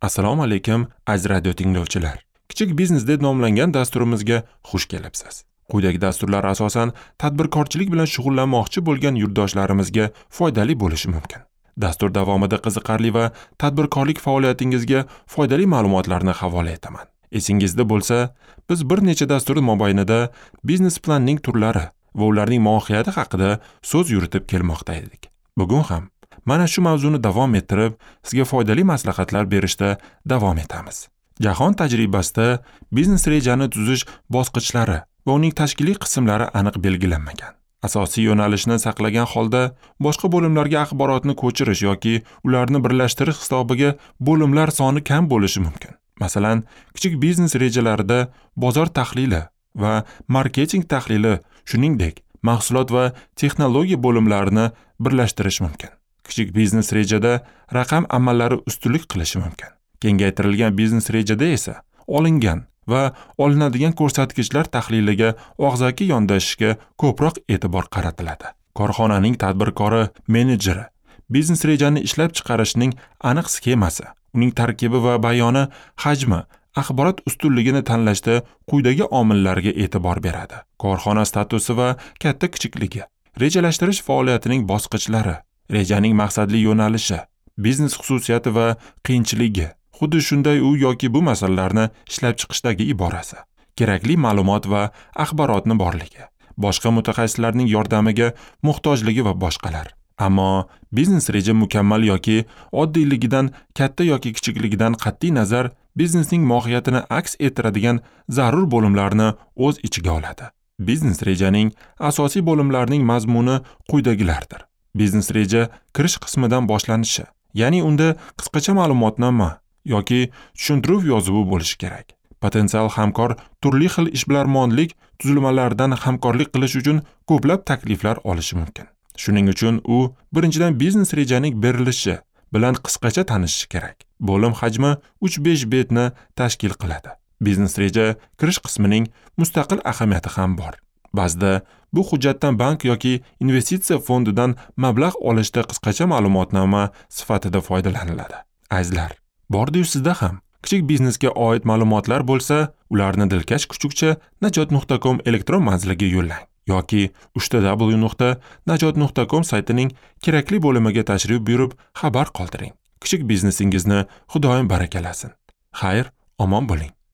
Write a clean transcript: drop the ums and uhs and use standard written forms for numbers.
Assalomu alaykum, aziz radio tinglovchilar. Kichik biznes deb nomlangan dasturimizga xush kelibsiz. Quyidagi dasturlar asosan tadbirkorchilik bilan shug'ullanmoqchi bo'lgan yurtdoshlarimizga foydali bo'lishi mumkin. Dastur davomida qiziqarli va tadbirkorlik faoliyatingizga foydali ma'lumotlarni havola etaman. Esingizda bo'lsa, biz bir necha dastur mobaynida biznes planning turlari va ularning mohiyati haqida so'z yuritib kelmoqda edik. Bugun ham mana shu mavzuni davom ettirib, sizga foydali maslahatlar berishda davom etamiz. Jahon tajribasida biznes rejani tuzish bosqichlari va uning tashkiliy qismlari aniq belgilanmagan. Asosiy yo'nalishni saqlagan holda boshqa bo'limlarga axborotni ko'chirish yoki ularni birlashtirish hisobiga bo'limlar soni kam bo'lishi mumkin. Masalan, kichik biznes rejalarida bozor tahlili va marketing tahlili, shuningdek, mahsulot va texnologiya bo'limlarini birlashtirish mumkin. Kichik biznes rejada raqam amallari ustunlik qilishi mumkin. Kengaytirilgan biznes rejada esa olingan va olinadigan ko'rsatkichlar tahliliga og'zaki yondashishga ko'proq e'tibor qaratiladi. Korxonaning tadbirkori, menejeri biznes rejani ishlab chiqarishning aniq sxemasi, uning tarkibi va bayoni, hajmi, axborot ustunligini tanlashda quyidagi omillarga e'tibor beradi. Korxona statusi va katta-kichikligi, rejalashtirish faoliyatining bosqichlari, rejaning maqsadli yo'nalishi, biznes xususiyati va qiyinchiligi, xuddi shunday u yoki bu masalalarni ishlab chiqishdagi iborasi, kerakli ma'lumot va axborotni borligi, boshqa mutaxassislarning yordamiga muhtojligi va boshqalar. Ammo biznes reja mukammal yoki oddiyligidan, katta yoki kichikligidan qat'iy nazar biznesning mohiyatini aks ettiradigan zarur bo'limlarni o'z ichiga oladi. Biznes rejaning asosiy bo'limlarining mazmuni quyidagilardir. Biznes reja kirish qismidan boshlanishi, ya'ni unda qisqacha ma'lumotnoma yoki tushuntiruv yozuvi bo'lishi kerak. Potensial hamkor turli xil ishbilarmonlik tuzilmalaridan hamkorlik qilish uchun ko'plab takliflar olishi mumkin. Shuning uchun u birinchidan biznes rejaning berilishi bilan qisqacha tanishishi kerak. Bo'lim hajmi 3-5 betni tashkil qiladi. Biznes reja kirish qismining mustaqil ahamiyati ham bor. Ba'zida bu hujjatdan bank yoki investitsiya fondidan mablag' olishda qisqacha ma'lumotnoma sifatida foydalaniladi. Azizlar, bordi-yu sizda ham kichik biznesga oid ma'lumotlar bo'lsa, ularni dilkash kuchukcha najot.com elektron manziliga yo'llang yoki www.najot.com saytining kerakli bo'limiga tashrif buyurib xabar qoldiring. Kichik biznesingizni Xudoyim barakalasin. Xayr, omon bo'ling.